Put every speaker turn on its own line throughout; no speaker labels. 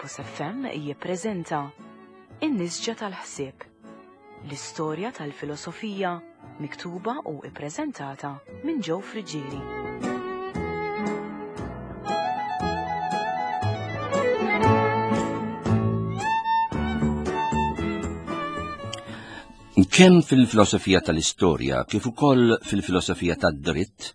Campus FM jippreżenta In-Nisġa tal-Ħsieb, l-istorja tal-filosofija miktuba u ippreżentata minn Joe Friggieri.
Kemm fil-filosofija tal-istorja kif ukoll fil-filosofija tad-dritt,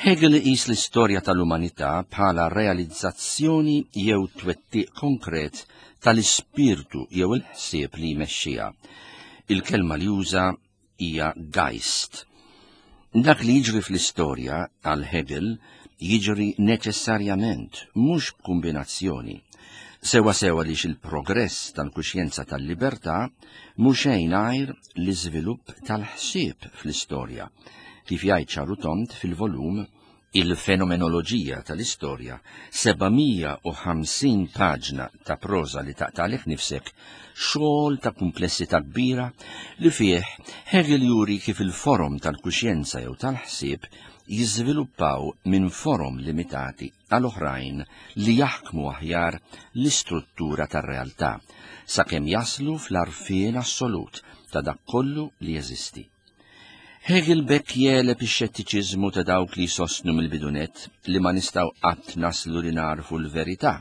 Hegel iqis l-istorja tal-umanità bħala realizzazzjoni jew twettiq konkret tal-ispirtu jew il-ħsieb li jmexxiha. Il-kelma li juża hija Geist. Dak li jiġri fl-istorja għal Hegel jiġri neċessarjament, mhux b'kumbinazzjoni. Sewa sewa li il-progress tal-kuxjenza tal-libertà mhu xejn għajr l-iżvilupp tal-ħsieb fl-istorja, kif jgħid ċaru tond fil-volum Il-Fenomenoloġija tal-Istorja, 750 paġna ta' proża li taqtagħlek nifsek, xogħol ta' kumplessità kbira li fih Hegel juri kif il-forom tal-kuxjenza jew tal-ħsieb jiżviluppaw minn forom limitati għal oħrajn li jaħkmu aħjar l-istruttura tar-realtà, sakemm jaslu fl-għarfien assolut ta' dak kollu li jeżisti. Hegel b'hekk jegħleb ix-xettiċiżmu ta' dawk li jsostnu mill-bidunett li ma nistgħu qatt naslu li nagħrfu l-verità,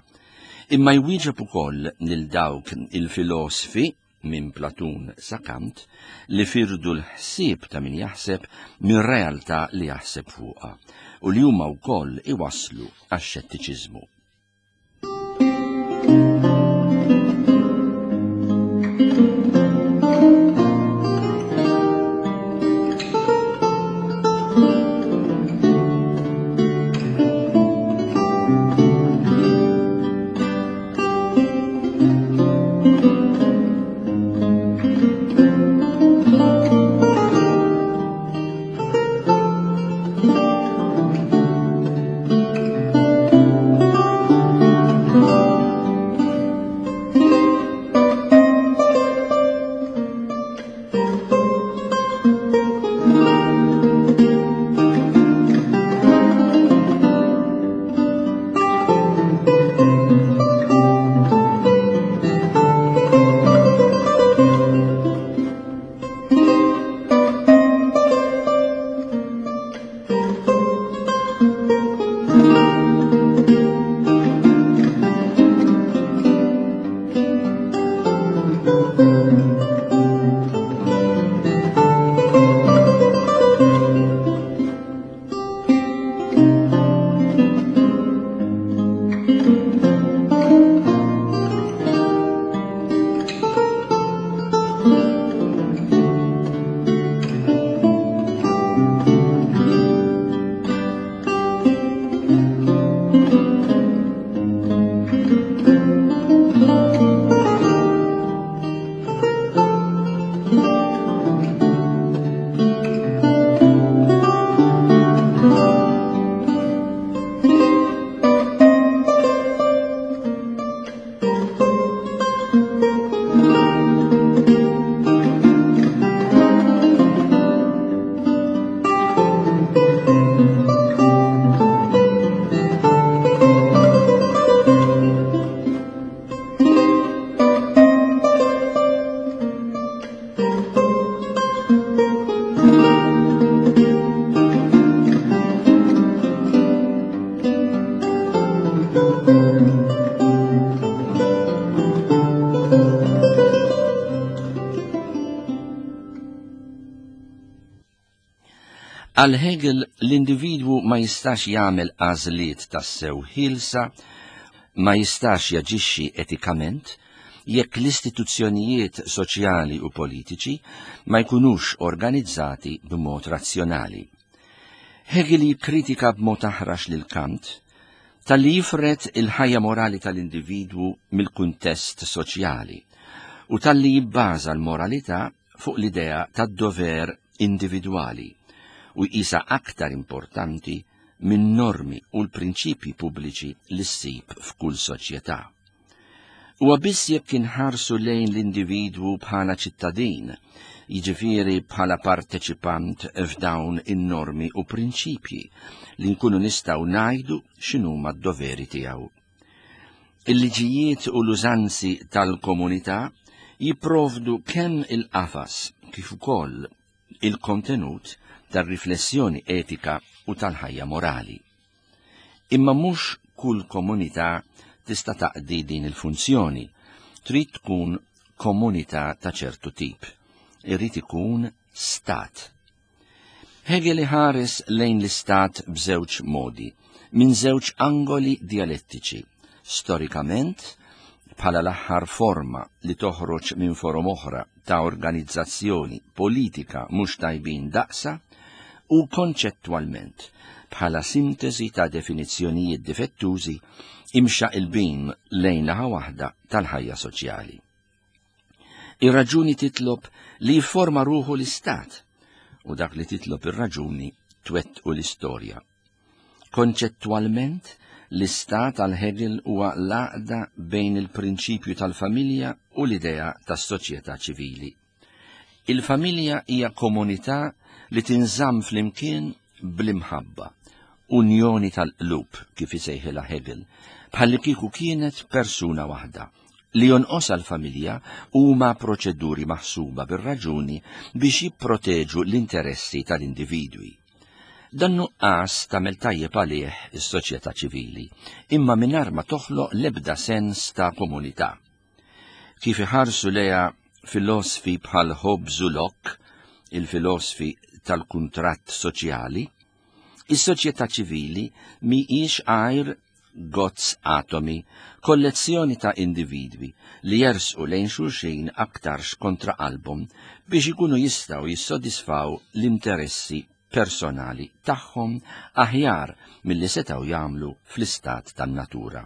imma jwieġeb ukoll lil dawk il-filosfi minn Platun sa Kant li firdu l-ħsieb ta' min jaħseb mir-realtà li jaħseb fuqha u li huma wkoll iwasslu għax-xettiċiżmu. Għal Hegel l-individwu ma jistax jagħmel għażliet tassew ħielsa, ma jistax jaġixxi etikament jekk l-istituzzjonijiet soċjali u politiċi ma jkunux organizzati b'mod razzjonali. Hegel jikkritika b'mod aħrax lil Kant talli jifred il-ħajja morali tal-individwu mill-kuntest soċjali u talli jibbaża l-moralità fuq l-idea tad-dover individwali u jqisha aktar importanti min-normi u l-prinċipji pubbliċi li ssib f'kull soċjetà. Huwa biss jekk inħarsu lejn l-individwu bħala ċittadin, jiġifieri bħala parteċipant f'dawn in-normi u prinċipji, li nkunu nistgħu ngħidu x'inhuma d-doveri tiegħu. Il-liġijiet u l-użanzi tal-komunità jipprovdu kemm il-qafas kif ukoll il-kontenut tar-riflessjoni etika u tal-ħajja morali. Imma mhux kull komunità tista' taqdi din il-funzjoni, trid tkun komunità ta' ċertu tip. Irid ikun stat. Hegel iħares lejn l-istat b'żewġ modi, minn żewġ angoli dialettiċi. Storikament, bħala l-aħħar forma li toħroġ minn forom oħra ta' organizzazzjoni politika mhux tajbin daqsa, u konċettwalment bħala sintesi ta' definizzjonijiet difettużi imxaqilbin lejn naħa waħda tal-ħajja soċjali. Ir-raġuni titlob li jifforma ruħu l-istat u dak li titlob ir-raġuni twettqu l-istorja. Konċettwalment, l-istat għal Hegel huwa l-għaqda bejn il-prinċipju tal-familja u l-idea tas-soċjetà ċivili. Il-familja hija komunità li tinżamm flimkien bl-imħabba, unjoni tal-qlub kif isejħilha Hegel, bħalli kieku kienet persuna waħda. Li jonqosha l-familja huma proċeduri maħsuba bir-raġuni biex jipproteġu l-interessi tal-individwi. Dan nuqqas tagħmel tajjeb għalih is-soċjetà ċivili, imma mingħajr ma toħloq l-ebda sens ta' komunità. Kif iħarsu lejha filosfi bħal Hobbes u Locke, il-filosfi tal-kuntratt soċjali, is-soċjetà ċivili mhijiex għajr gozz atomi, kollezzjoni ta' individwi li jersqu lejn xulxin aktarx kontra qalbhom biex ikunu jistgħu jissodisfaw l-interessi personali tagħhom aħjar milli setgħu jagħmlu fl-istat tan-natura.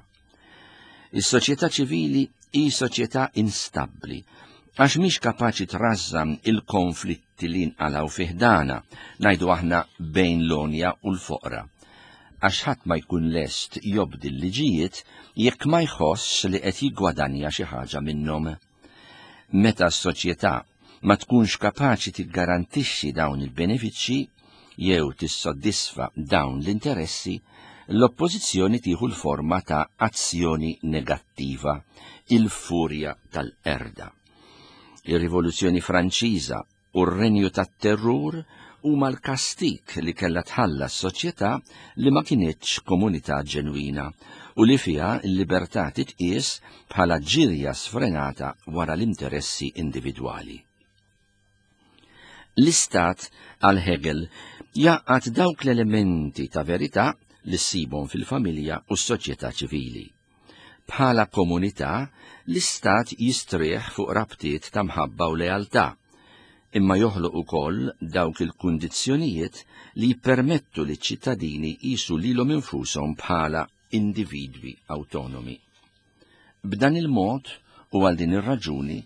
Is-soċjetà ċivili hi soċjetà instabbli għax mhix kapaċi trażżan il-konflitti li nqalgħu fi ħdana, ngħidu aħna bejn l-għonja u l-foqra. Għax ħadd ma jkun lest jobdi l-liġijiet jekk ma jħossx li qed jiggwadanja xi ħaġa minnhom. Meta s-soċjetà ma tkunx kapaċi tiggarantixxi dawn il-benefiċċji jew tissoddisfa dawn l-interessi, l-oppożizzjoni tieħu l-forma ta' azzjoni negattiva, il-furja tal-qerda. Ir-Rivoluzzjoni Franċiża u r-renju tat-terrur huma l-kastig li kellha tħallas soċjetà li ma kinitx komunità ġenwina u li fiha l-libertà titqies bħala ġirja sfrenata wara l-interessi individwali. L-Istat għal Hegel jgħaqqad dawk l-elementi ta' verità li ssibhom fil-familja u s-soċjetà ċivili. Bħala komunità, l-Istat jistrieħ fuq rabtiet ta' mħabba u lealtà, imma joħloq ukoll dawk il-kundizzjonijiet li jippermettu liċ-ċittadini jqisu lilhom infushom bħala individwi awtonomi. B'dan il-mod u għal din ir-raġuni,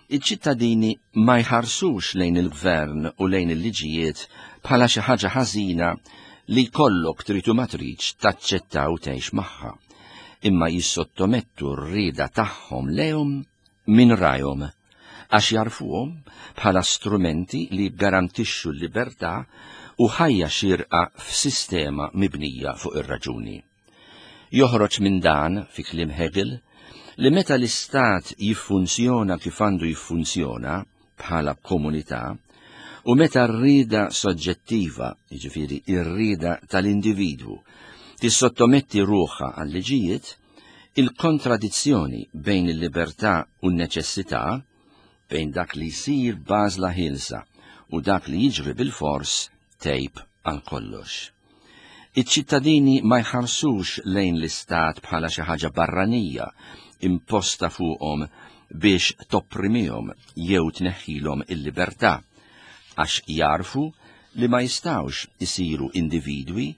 iċ-ċittadini ma jħarsux lejn il-gvern u lejn il-liġijiet bħala xi ħaġa ħażina li jkollok trid u ma tridx taċċetta u tgħix magħha, imma jissottomettu r-rieda tagħhom lejhom minn rajhom għax jagħrfuhom bħala strumenti li jiggarantixxu l-libertà u ħajja xierqa f'sistema mibnija fuq ir-raġuni. Joħroġ minn dan, fi kliem Hegel, li meta l-Istat jiffunzjona kif għandu jiffunzjona, bħala komunità, u meta r-rieda soġġettiva, jiġifieri r-rieda tal-individwu, tissottometti ruħha għal-liġijiet, il-kontradizzjoni bejn il-libertà u n-neċessità, bejn dak li jsir b'għażla ħielsa u dak li jiġri bilfors, tgħib għal kollox. Iċ-ċittadini ma jħarsux lejn l-Istat bħala xi ħaġa barranija imposta fuqhom biex topprimihom jew tneħħilhom il-libertà, għax jagħrfu li ma jistgħux isiru individwi,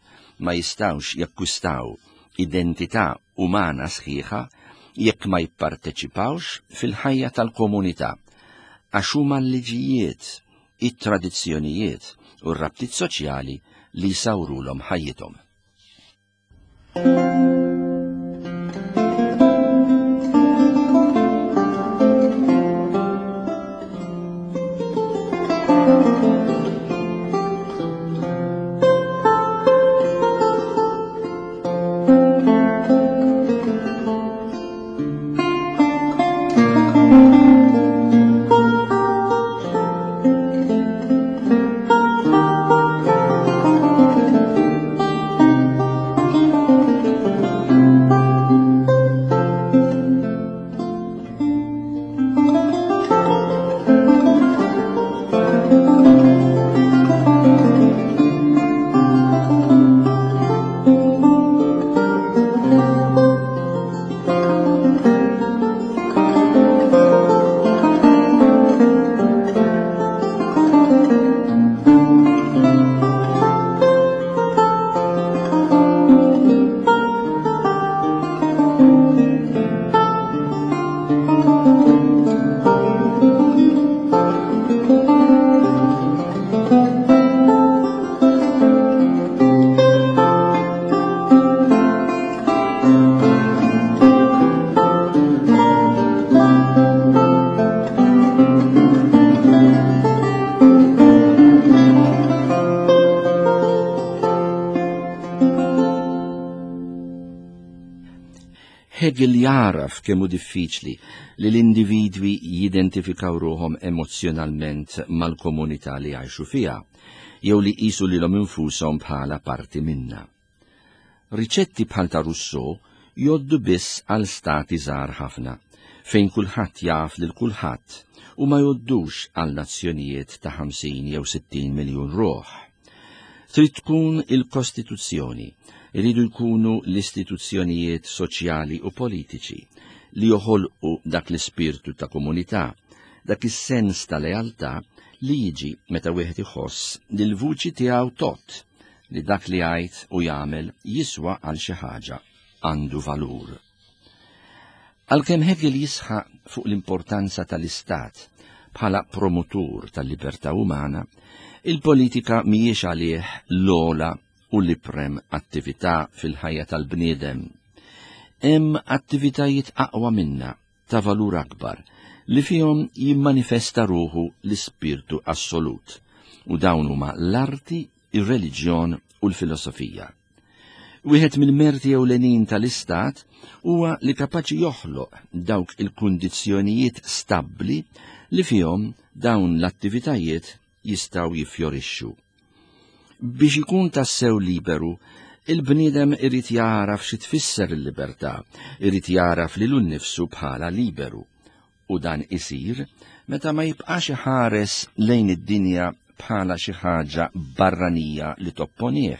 ma jistgħux jakkwistaw identità umana sħiħa jekk ma jipparteċipawx fil-ħajja tal-komunità, għax huma l-liġijiet, it-tradizzjonijiet u r-rabtiet soċjali li jsawrulhom ħajjithom. Hegel jagħraf kemm hu diffiċli li l-individwi jidentifikaw ruħhom emozzjonalment mal-komunità li jgħixu fiha, jew li jqisu lilhom infushom bħala parti minnha. Riċetti bħal ta' Rousseau jgħoddu biss għal stati żgħar ħafna, fejn kulħadd jaf lil kulħadd u ma jgħoddux għal nazzjonijiet ta' 50 jew 60 miljun ruħ. Trid tkun il-Kostituzzjoni, iridu jkunu l-istituzzjonijiet soċjali u politiċi li joħolqu dak l-ispirtu ta' komunità, dak is-sens ta' lealtà li jiġi meta wieħed iħoss li l-vuċi tiegħu tgħodd, li dak li jgħid u jagħmel jiswa għal xi ħaġa, għandu valur. Għalkemm Hegel jisħaq fuq l-importanza tal-Istat bħala promotur tal-libertà umana, il-politika mhijiex għalih l-ogħla u l-iprem attività fil-ħajja tal-bniedem. Hemm attivitajiet aqwa minnha ta' valur akbar li fihom jimmanifesta ruħu l-ispirtu assolut, u dawn huma l-arti, ir-reliġjon u l-filosofija. Wieħed mill-merti ewlenin tal-Istat huwa li kapaċi joħloq dawk il-kundizzjonijiet stabbli li fihom dawn l-attivitajiet jistgħu jiffjorixxu. Biex ikun tassew liberu, il-bniedem irid jagħraf xi tfisser il-libertà, irid jagħraf lilu nnifsu bħala liberu. U dan isir meta ma jibqax iħares lejn id-dinja bħala xi ħaġa barranija li topponih,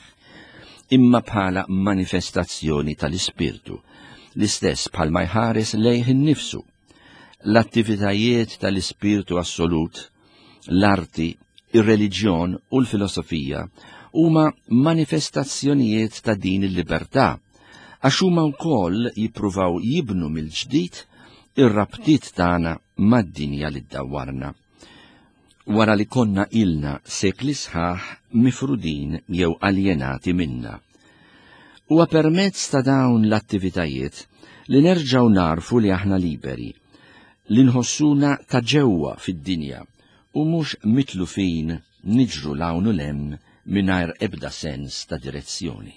imma bħala manifestazzjoni tal-ispirtu, l-istess bħalma jħares lejh innifsu. L-attivitajiet tal-ispirtu assolut, l-arti, ir-reliġjon u l-filosofija huma manifestazzjonijiet ta' din il-libertà, għax huma wkoll jippruvaw jibnu mill-ġdid ir-rabtiet tagħna mad-dinja li ddawwarna. Wara li konna ilna sekli sħaħ mifrudin jew aljenati minna. Huwa permezz ta' dawn l-attivitajiet li nerġgħu nagħrfu li aħna liberi, li nħossuna ta' ġewwa fid-dinja u mhux mitlufin niġru 'l hawn u 'l hemm mingħajr ebda sens ta' direzzjoni.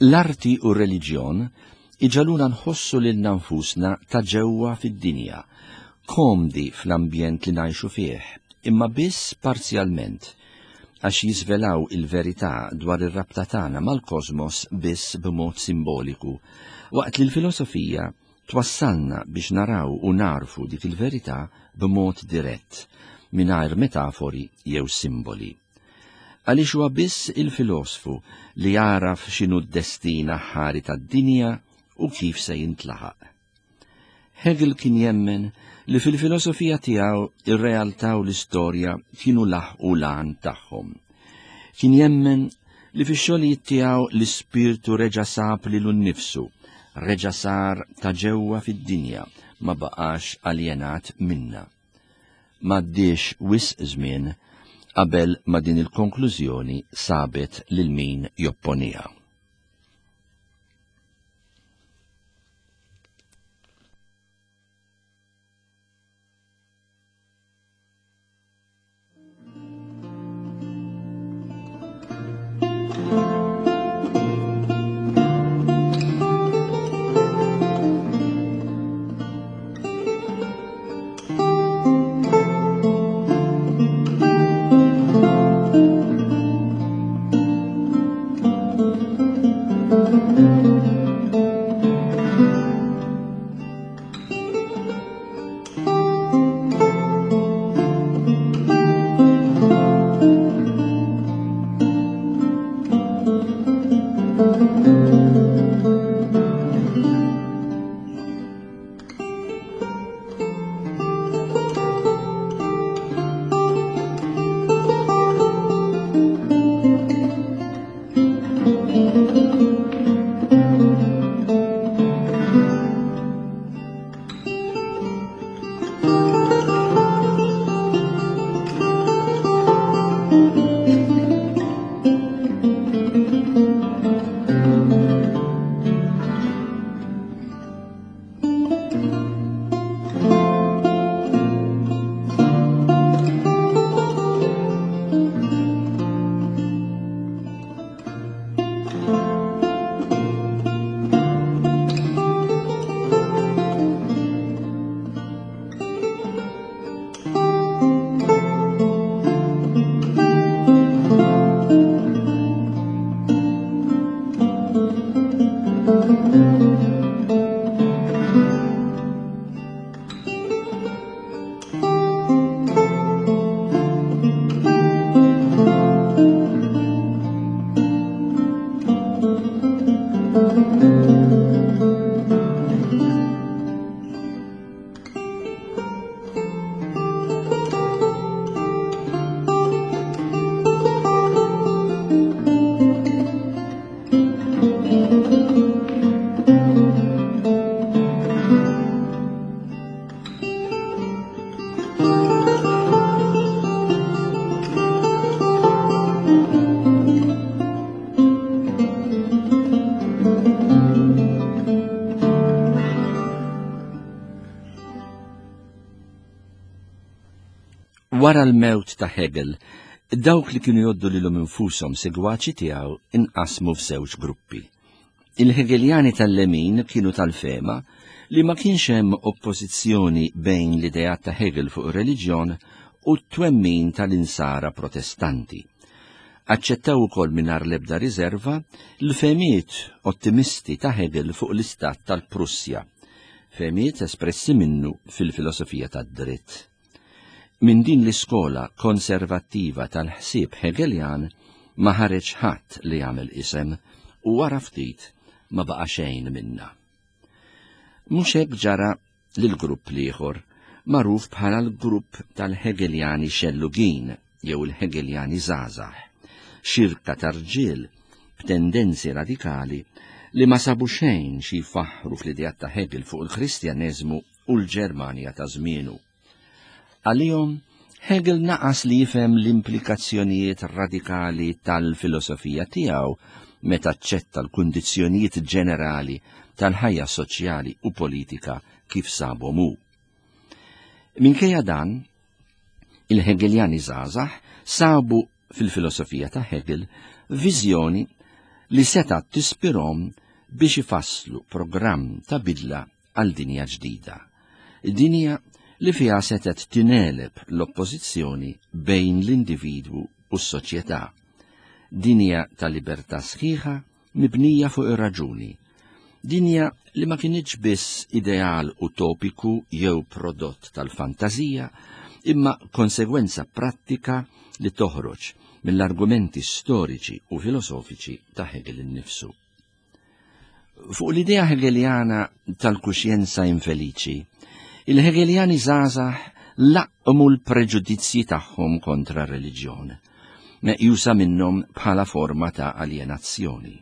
L-arti u r-reliġjon iġagħluna nħossu lilna nfusna ta' ġewwa fid-dinja, komdi fl-ambjent li ngħixu fih, imma biss parzjalment, għax jiżvelaw il-verità dwar ir-rabta tagħna mal-kosmos biss b'mod simboliku, waqt li l-filosofija twassalna biex naraw u nagħrfu dik il-verità b'mod dirett, mingħajr metafori jew simboli. Għaliex huwa biss il-filosfu li jagħraf x'inhu d-destin aħħari tad-dinja u kif se jintlaħaq. Hegel kien jemmen li fil-filosofija tiegħu ir-realtà u l-istorja kienu laħqu l-għan tagħhom. Kien jemmen li fix-xogħlijiet tiegħu l-ispirtu reġa' sab lilu nnifsu, reġa' sar ta' ġewwa fid-dinja, ma baqax aljenat minnha. M'għaddiex wisq żmien qabel ma din il-konklużjoni sabet lil min jopponiha. Wara l-mewt ta' Hegel, dawk li kienu jgħoddu lilhom infushom segwaċi tiegħu inqasmu f'żewġ gruppi. Il-Hegeljani tal-lemin kienu tal-fehma li ma kienx hemm oppożizzjoni bejn l-ideat ta' Hegel fuq ir-reliġjon u t-twemmin tal-insara Protestanti. Aċċettaw ukoll mingħajr l-ebda riżerva l-fehmiet ottimisti ta' Hegel fuq l-istat tal-Prussja, fehmiet espressi minnu fil-filosofija tad-dritt. Minn din l-iskola konservattiva tal-ħsieb Hegeljan ma ħareġ ħadd li jagħmel isem u wara ftit ma baqa' xejn minnha. Mhux hekk ġara lill-grupp l-ieħor, magħruf bħala l-grupp tal-Hegeljani xellugin jew il-Hegeljani żgħażagħ, xirka ta' rġiel b'tendenzi radikali li ma sabu xejn xi jfaħħru fl-ideat ta' Hegel fuq il-Kristjaneżmu u l-Ġermanja ta' żmienu. Għalihom, Hegel naqas li jifhem l-implikazzjonijiet radikali tal-filosofija tiegħu meta aċċetta l-kundizzjonijiet ġenerali tal-ħajja soċjali u politika kif sabhom hu. Minkejja dan, il-Hegeljani żgħażagħ sabu fil-filosofija ta' Hegel viżjoni li setgħet tispirhom biex ifasslu programm ta' bidla għal dinja ġdida. Dinja li fiha setgħet tingħeleb l-oppożizzjoni bejn l-individwu u s-soċjetà. Dinja ta' libertà sħiħa mibnija fuq ir-raġuni. Dinja li ma kinitx biss ideal utopiku jew prodott tal-fantażija, imma konsegwenza prattika li toħroġ mill-argumenti storiċi u filosofiċi ta' Hegel innifsu. Fuq l-idea Hegeljana tal-kuxjenza infeliċi, il-Hegeljani żgħażagħ laqqmu l-preġudizzji tagħhom kontra r-reliġjon, meqjusa minnhom bħala forma ta' aljenazzjoni.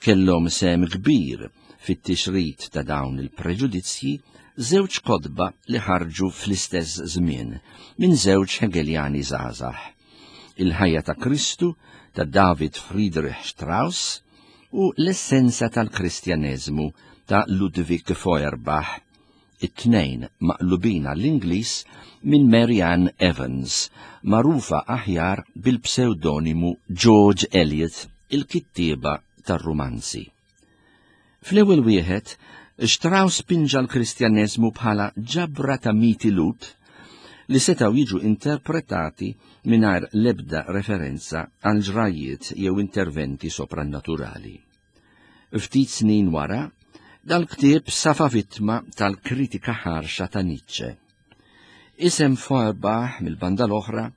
Kellhom sehem kbir fit-tixrid ta' dawn il-preġudizzji żewġ kotba li ħarġu fl-istess żmien minn żewġ Hegeljani żgħażagħ. Il-ħajja ta' Kristu ta' David Friedrich Strauss u L-essenza tal-Kristjaneżmu ta' Ludwig Feuerbach, it-tnejn maqlubin għall-Ingliż minn Mary Ann Evans, magħrufa aħjar bil-psewdonimu George Eliot, il-kittieba tar-rumanzi. Fl-ewwel wieħed, Strauss pinġa l-Kristjaneżmu bħala ġabra ta' miti Lhud li setgħu jiġu interpretati mingħajr l-ebda referenza għal ġrajjiet jew interventi soprannaturali. Ftit snin wara, dal-ktieb safa vittma tal-kritika ħarxa ta' Nietzsche. Isem Feuerbach mill-banda l-oħra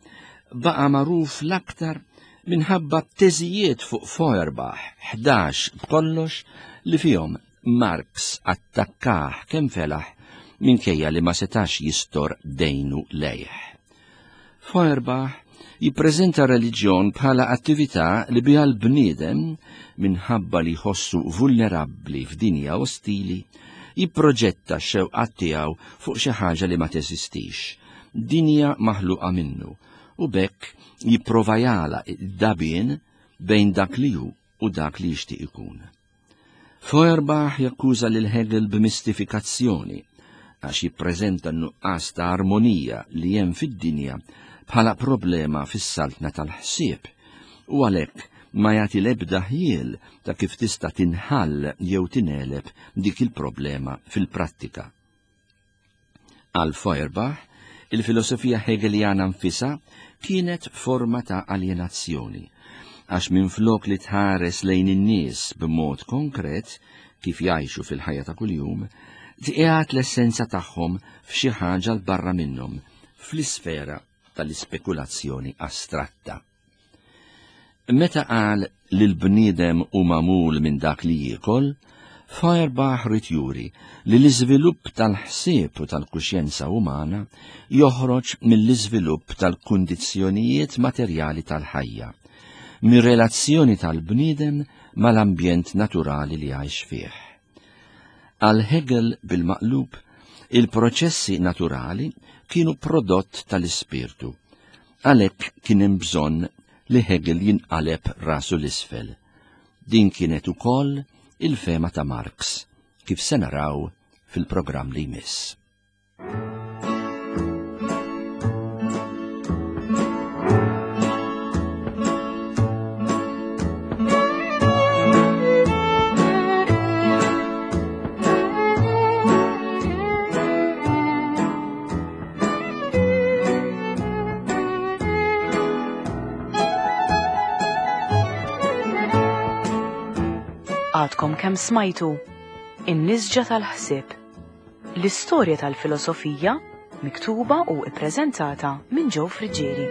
baqa' magħruf l-aktar minħabba t-teżijiet fuq Feuerbach, 11 b'kollox, li fihom Marx attakkah kemm felaħ minkejja li ma setax jistor dejnu lejh. Feuerbach jippreżenta reliġjon bħala attività li biha l-bniedem, minħabba li jħossu vulnerabbli f'dinja ostili, jipproġetta x-xewqat tiegħu fuq xi ħaġa li ma teżistix, dinja maħluqa minnu, u b'hekk jipprova jagħlaq id-dabien bejn dak li hu u dak li jixtieq ikun. Feuerbach jakkuża lil Hegel b'mistifikazzjoni għax jippreżenta n-nuqqas ta' armonija li hemm fid-dinja bħala problema fis-saltna tal-ħsieb u għalhekk ma jagħti l-ebda ħjiel ta' kif tista' tinħall jew tingħeleb dik il-problema fil-prattika. Għal Feuerbach, il-filosofija Hegeljana nfisha kienet forma ta' aljenazzjoni, għax minflok li tħares lejn in-nies b'mod konkret kif jgħixu fil-ħajja ta' kuljum, tqiegħed l-essenza tagħhom f'xi ħaġa 'l barra minnhom, fl-isfera tal-ispekulazzjoni astratta. Meta qal li l-bniedem hu magħmul minn dak li jiekol, Feuerbach ried juri li l-iżvilupp tal-ħsieb u tal-kuxjenza umana joħroġ mill-iżvilupp tal-kundizzjonijiet materjali tal-ħajja, mir-relazzjoni tal-bniedem mal-ambjent naturali li jgħix fih. Għal Hegel bil-maqlub, il-proċessi naturali kienu prodott tal-ispirtu. Għalhekk kien hemm bżonn li Hegel jinqaleb rasu l-isfel. Din kienet ukoll il-fehma ta' Marx, kif se naraw fil-programm li jmiss.
Għadkom kemm smajtu In-nisġa tal-ħsieb. L-istorja tal-filosofija miktuba u ippreżentata minn Joe Friggieri.